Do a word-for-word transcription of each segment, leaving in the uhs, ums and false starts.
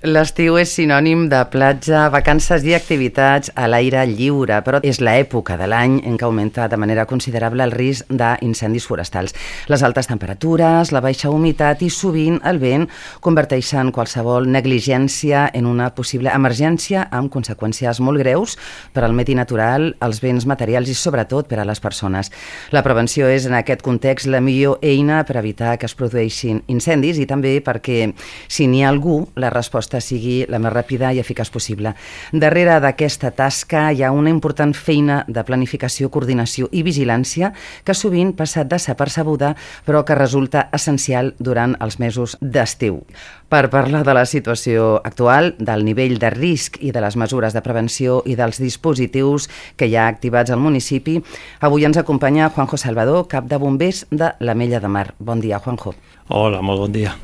L'estiu és sinònim de platja, vacances i activitats a l'aire lliure, però és l'època de l'any en què augmenta de manera considerable el risc d'incendis forestals. Les altes temperatures, la baixa humitat i sovint el vent converteixen qualsevol negligència en una possible emergència amb conseqüències molt greus per al medi natural, els béns materials i sobretot per a les persones. La prevenció és en aquest context la millor eina per evitar que es produeixin incendis i també perquè si n'hi ha algú, la resposta sigui la més ràpida i eficaç possible. Darrere d'aquesta tasca hi ha una important feina de planificació, coordinació i vigilància que sovint passa desapercebuda però que resulta essencial durant els mesos d'estiu. Per parlar de la situació actual, del nivell de risc i de les mesures de prevenció i dels dispositius que hi ha activats al municipi, avui ens acompanya Juanjo Salvador, cap de bombers de l'Ametlla de Mar. Bon dia, Juanjo. Hola, molt bon dia.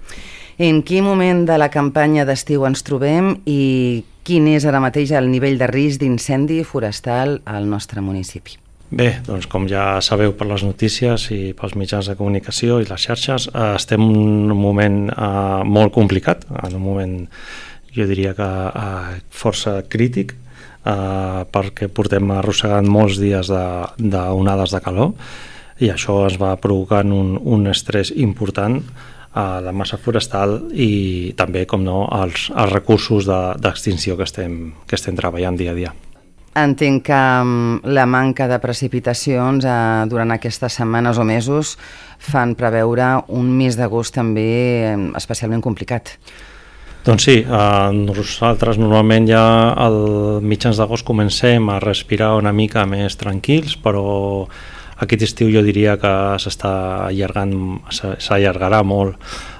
En quin moment de la campanya d'estiu ens trobem i quin és ara mateix el nivell de risc d'incendi forestal al nostre municipi? Bé, doncs com ja sabeu per les notícies i pels mitjans de comunicació i les xarxes, eh, estem en un moment eh, molt complicat, en un moment, jo diria que eh, força crític, eh, perquè portem arrossegant molts dies d'onades de, de calor i això es va provocant un, un estrès important a la massa forestal i també, com no, als, als recursos d'extinció de, que, estem, que estem treballant dia a dia. Entenc que la manca de precipitacions eh, durant aquestes setmanes o mesos fan preveure un mes d'agost també eh, especialment complicat. Doncs sí, eh, nosaltres normalment ja al mitjans d'agost comencem a respirar una mica més tranquils, però aquest estiu jo diria que s'està allargant, s'allargarà molt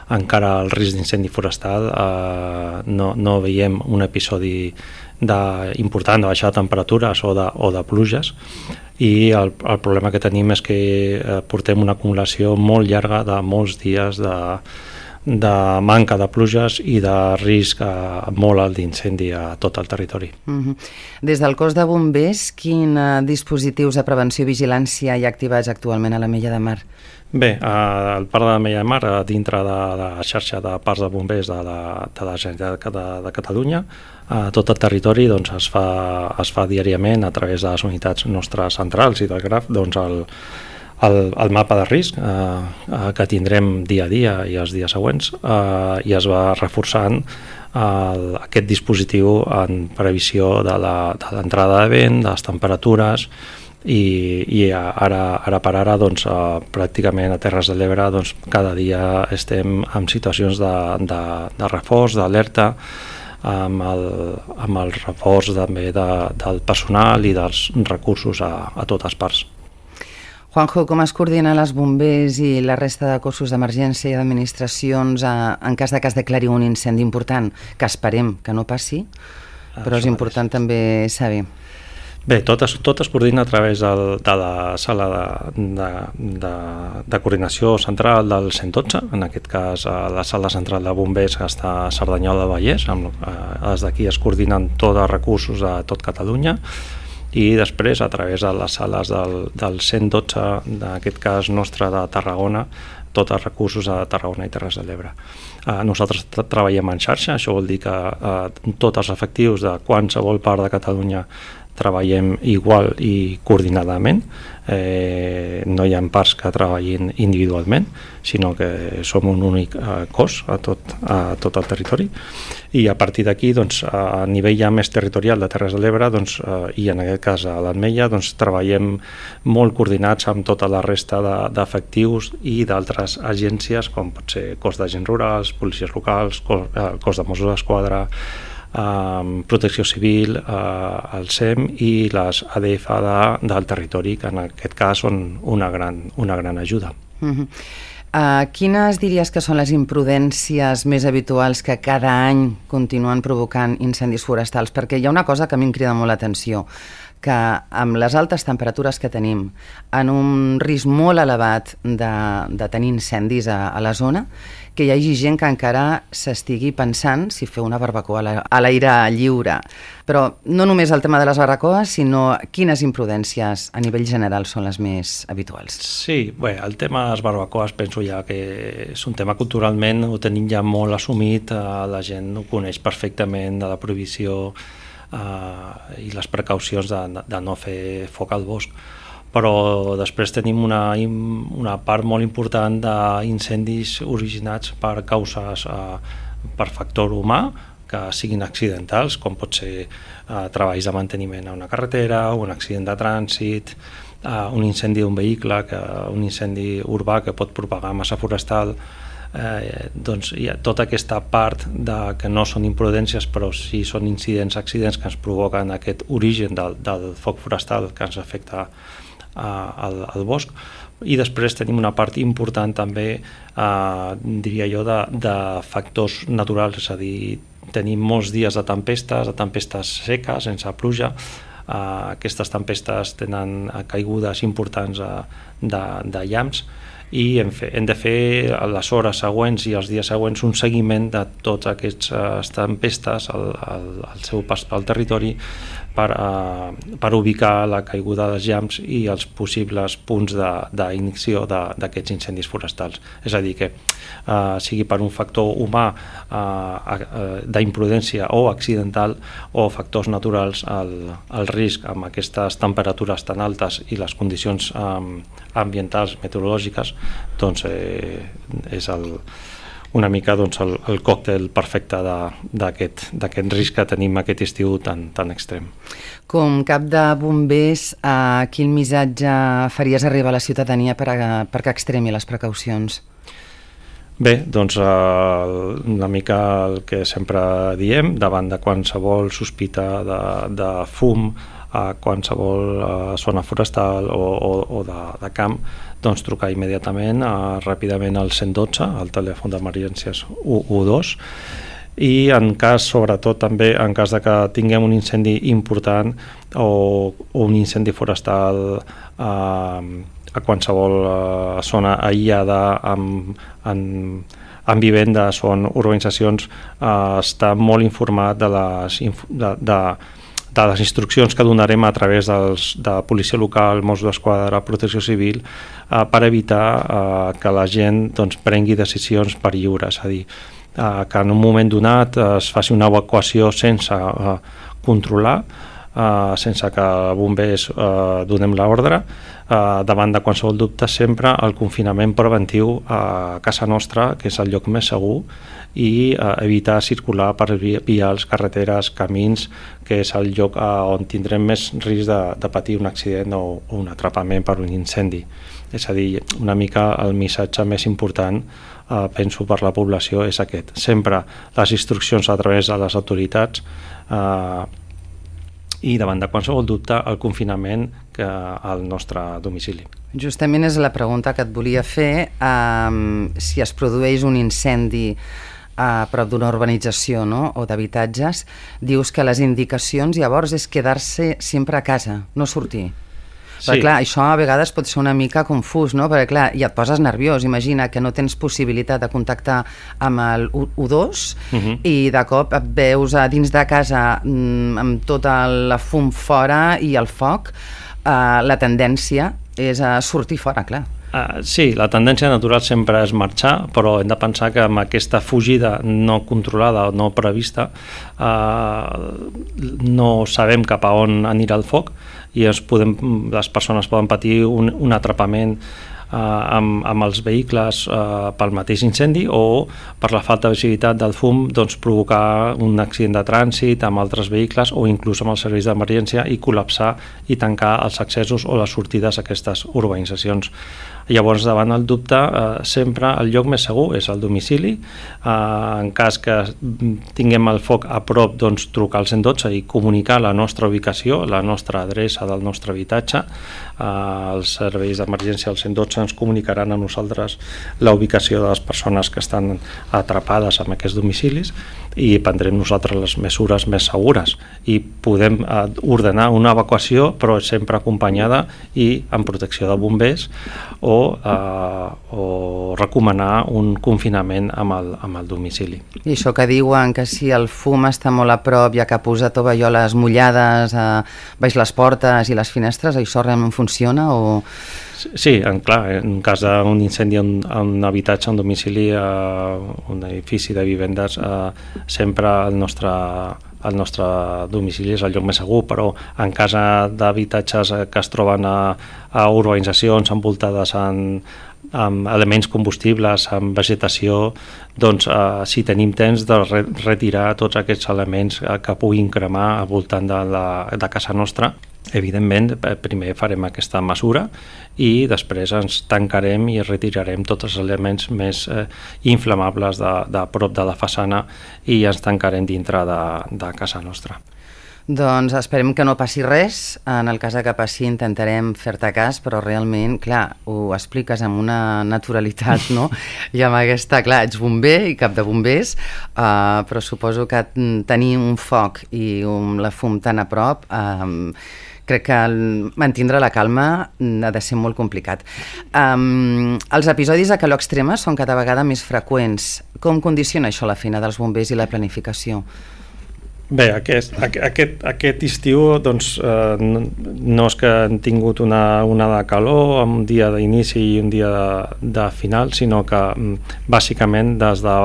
encara el risc d'incendi forestal. Eh, no, no veiem un episodi de, important de baixada de temperatures o de, o de pluges i el, el problema que tenim és que eh, portem una acumulació molt llarga de molts dies de, de manca de pluges i de risc eh, molt alt d'incendi a tot el territori. Uh-huh. Des del cos de bombers, quins uh, dispositius de prevenció i vigilància hi ha activats actualment a l'Ametlla de Mar? Bé, al parc de l'Ametlla de Mar, dintre de la xarxa de parcs de bombers de la, de la Generalitat de, de Catalunya, a tot el territori doncs, es, fa, es fa diàriament a través de les unitats nostres centrals i del Graf doncs, el, el, el mapa de risc eh, que tindrem dia a dia i els dies següents eh, i es va reforçant el, aquest dispositiu en previsió de l'entrada de vent, de les temperatures i, i ara, ara per ara doncs, eh, pràcticament a Terres de l'Ebre doncs, cada dia estem en situacions de, de, de reforç, d'alerta, amb el, amb el reforç també de, del personal i dels recursos a, a totes parts. Juanjo, com es coordinen els bombers i la resta de cossos d'emergència i d'administracions en cas de que es declari un incendi important, que esperem que no passi, però és important també saber? Bé, tot es, tot es coordina a través del, de la sala de, de, de, de coordinació central del cent i dotze, en aquest cas la sala central de bombers que està a Cerdanyola del Vallès, amb, eh, des d'aquí es coordinen tots els recursos de tot Catalunya i després a través de les sales del, del cent i dotze, en aquest cas nostre de Tarragona, tots els recursos a Tarragona i Terres de l'Ebre. Eh, nosaltres tra treballem en xarxa, això vol dir que eh, tots els efectius de qualsevol part de Catalunya treballem igual i coordinadament, eh, no hi ha parts que treballin individualment, sinó que som un únic eh, cos a tot, a tot el territori i a partir d'aquí doncs, a nivell ja més territorial de Terres de l'Ebre doncs, eh, i en aquest cas a l'Ametlla doncs, treballem molt coordinats amb tota la resta d'efectius de, i d'altres agències com pot ser cos d'agents rurals, policies locals, cos, eh, cos de Mossos d'Esquadra, Um, Protecció Civil, uh, el S E M i les A D F de, del territori, que en aquest cas són una gran, una gran ajuda. Uh-huh. uh, quines diries que són les imprudències més habituals que cada any continuen provocant incendis forestals? Perquè hi ha una cosa que a mi em crida molt l'atenció, que amb les altes temperatures que tenim, en un risc molt elevat de, de tenir incendis a, a la zona, que hi hagi gent que encara s'estigui pensant si fer una barbacoa a l'aire lliure. Però no només el tema de les barbacoes, sinó quines imprudències a nivell general són les més habituals. Sí, bé, el tema de les barbacoes penso ja que és un tema culturalment, ho tenim ja molt assumit, la gent ho coneix perfectament de la prohibició eh, i les precaucions de, de no fer foc al bosc. Però després tenim una, una part molt important d'incendis originats per causes, eh, per factor humà, que siguin accidentals, com pot ser eh, treballs de manteniment a una carretera, un accident de trànsit, eh, un incendi d'un vehicle, que, un incendi urbà que pot propagar massa forestal. Eh, doncs hi ha tota aquesta part de, que no són imprudències, però sí són incidents, accidents que ens provoquen aquest origen del, del foc forestal que ens afecta Al, al bosc. I després tenim una part important també, eh, diria jo, de, de factors naturals, és a dir, tenim molts dies de tempestes, de tempestes seques, sense pluja. Eh, aquestes tempestes tenen caigudes importants eh, de, de llamps, i hem, fe, hem de fer a les hores següents i els dies següents un seguiment de tots aquests uh, tempestes al, al, al seu pas pel territori per, uh, per ubicar la caiguda dels llamps i els possibles punts d'inicció d'aquests incendis forestals. És a dir, que uh, sigui per un factor humà uh, uh, d'imprudència o accidental o factors naturals, el, el risc amb aquestes temperatures tan altes i les condicions um, ambientals, meteorològiques, doncs eh, és el, una mica doncs, el, el còctel perfecte d'aquest risc que tenim aquest estiu tan, tan extrem. Com cap de bombers, eh, quin missatge faries arribar a la ciutadania per a, perquè extremi les precaucions? Bé, doncs eh, una mica el que sempre diem, davant de qualsevol sospita de, de fum, a qualsevol uh, zona forestal o, o, o de, de camp, doncs trucar immediatament, uh, ràpidament al cent dotze, al telèfon d'emergències u dos, i en cas, sobretot també, en cas de que tinguem un incendi important o, o un incendi forestal uh, a qualsevol uh, zona aïllada amb, amb, amb vivendes o en urbanitzacions, uh, està molt informat de les... De, de, de les instruccions que donarem a través dels, de policia local, Mossos d'Esquadra, Protecció Civil, eh, per evitar eh, que la gent doncs, prengui decisions per lliure, és a dir, eh, que en un moment donat eh, es faci una evacuació sense eh, controlar, eh, sense que bombers eh, donem l'ordre, eh, davant de qualsevol dubte sempre el confinament preventiu a casa nostra, que és el lloc més segur, i eh, evitar circular per vials, carreteres, camins, que és el lloc eh, on tindrem més risc de, de patir un accident o, o un atrapament per un incendi. És a dir, una mica el missatge més important, eh, penso, per la població és aquest. Sempre les instruccions a través de les autoritats eh, i davant de qualsevol dubte el confinament que al nostre domicili. Justament és la pregunta que et volia fer. Um, si es produeix un incendi a prop d'una urbanització, no?, o d'habitatges, dius que les indicacions llavors és quedar-se sempre a casa, no sortir. Sí. Però clar, això a vegades pot ser una mica confús, no? Perquè clar, ja et poses nerviós, imagina que no tens possibilitat de contactar amb el u dos uh -huh. i de cop et veus a dins de casa amb tota la fum fora i el foc, eh, la tendència és a sortir fora, clar. Uh, sí, la tendència natural sempre és marxar, però hem de pensar que amb aquesta fugida no controlada o no prevista uh, no sabem cap a on anirà el foc i es podem, les persones poden patir un, un atrapament uh, amb, amb els vehicles uh, pel mateix incendi o per la falta de visibilitat del fum doncs, provocar un accident de trànsit amb altres vehicles o inclús amb els serveis d'emergència i col·lapsar i tancar els accessos o les sortides a aquestes urbanitzacions. Llavors, davant el dubte, eh, sempre el lloc més segur és el domicili. Eh, en cas que tinguem el foc a prop, doncs trucar al cent i dotze i comunicar la nostra ubicació, la nostra adreça del nostre habitatge. Eh, els serveis d'emergència del cent i dotze ens comunicaran a nosaltres la ubicació de les persones que estan atrapades en aquests domicilis i prendrem nosaltres les mesures més segures i podem eh, ordenar una evacuació, però sempre acompanyada i amb protecció de bombers o, eh, o recomanar un confinament amb el, amb el domicili. I això que diuen que si el fum està molt a prop i ha que posar tovalloles mullades a baix les portes i les finestres, això realment funciona o... Sí, en, clar, en cas d'un incendi en un habitatge, un domicili, eh, un edifici de vivendes, eh, sempre el nostre, el nostre domicili és el lloc més segur, però en cas d'habitatges que es troben a, a urbanitzacions envoltades en, amb elements combustibles, amb vegetació, doncs eh, si tenim temps de re retirar tots aquests elements que puguin cremar al voltant de, la, de casa nostra. Evidentment, primer farem aquesta mesura i després ens tancarem i retirarem tots els elements més eh, inflamables de, de prop de la façana i ens tancarem dintre de, de casa nostra. Doncs esperem que no passi res. En el cas que passi intentarem fer-te cas, però realment, clar, ho expliques amb una naturalitat, no? I amb aquesta, clar, ets bomber i cap de bombers, uh, però suposo que tenir un foc i un, la fum tan a prop... Uh, crec que mantindre la calma ha de ser molt complicat. Um, els episodis de calor extrema són cada vegada més freqüents. Com condiciona això la feina dels bombers i la planificació? Bé, aquest, aquest, aquest estiu doncs, eh, no, no és que han tingut una onada de calor, un dia d'inici i un dia de, de final, sinó que bàsicament des de,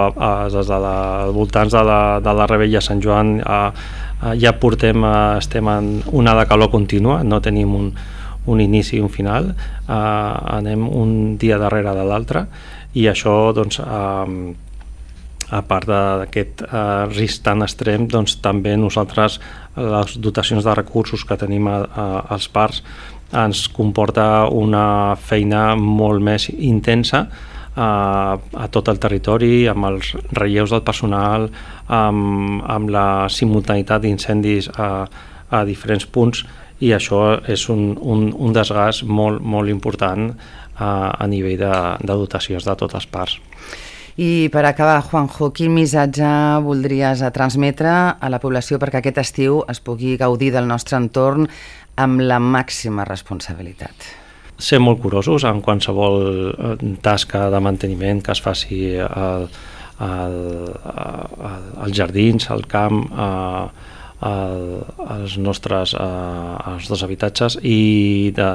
des de la, voltants de la, de la Rebella a Sant Joan a, a, ja portem, a, estem en una de calor contínua, no tenim un, un inici i un final, eh, anem un dia darrere de l'altre i això doncs eh, a part d'aquest eh, risc tan extrem, doncs també nosaltres les dotacions de recursos que tenim a, a, als parcs ens comporta una feina molt més intensa eh, a tot el territori, amb els relleus del personal, amb, amb la simultaneïtat d'incendis a, a diferents punts i això és un, un, un desgast molt, molt important eh, a nivell de, de dotacions de tots els parcs. I per acabar, Juanjo, quin missatge voldries transmetre a la població perquè aquest estiu es pugui gaudir del nostre entorn amb la màxima responsabilitat? Ser molt curosos en qualsevol tasca de manteniment que es faci al, al, al, als jardins, al camp, a, a, als nostres, a, als nostres habitatges i de,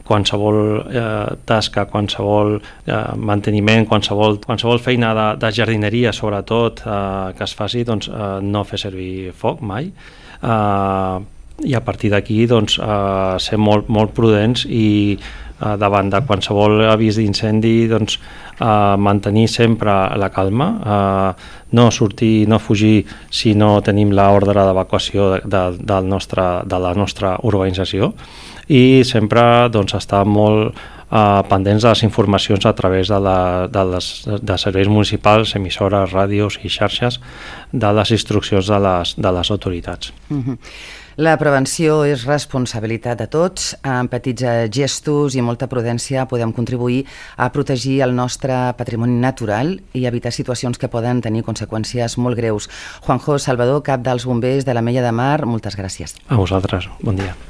qualsevol eh, tasca, qualsevol eh, manteniment, qualsevol, qualsevol feina de, de jardineria, sobretot, eh, que es faci, doncs, eh, no fer servir foc mai. Eh, I a partir d'aquí, doncs, eh, ser molt, molt prudents i eh, davant de qualsevol avís d'incendi, doncs, eh, mantenir sempre la calma, eh, no sortir, no fugir si no tenim l'ordre d'evacuació de, de, del nostre, de la nostra urbanització i sempre doncs, estar molt eh, pendents de les informacions a través de, la, de, les, de serveis municipals, emissores, ràdios i xarxes de les instruccions de les, de les autoritats. Mm-hmm. La prevenció és responsabilitat de tots. Amb petits gestos i molta prudència podem contribuir a protegir el nostre patrimoni natural i evitar situacions que poden tenir conseqüències molt greus. Juanjo Salvador, cap dels bombers de l'Ametlla de Mar, moltes gràcies. A vosaltres, bon dia.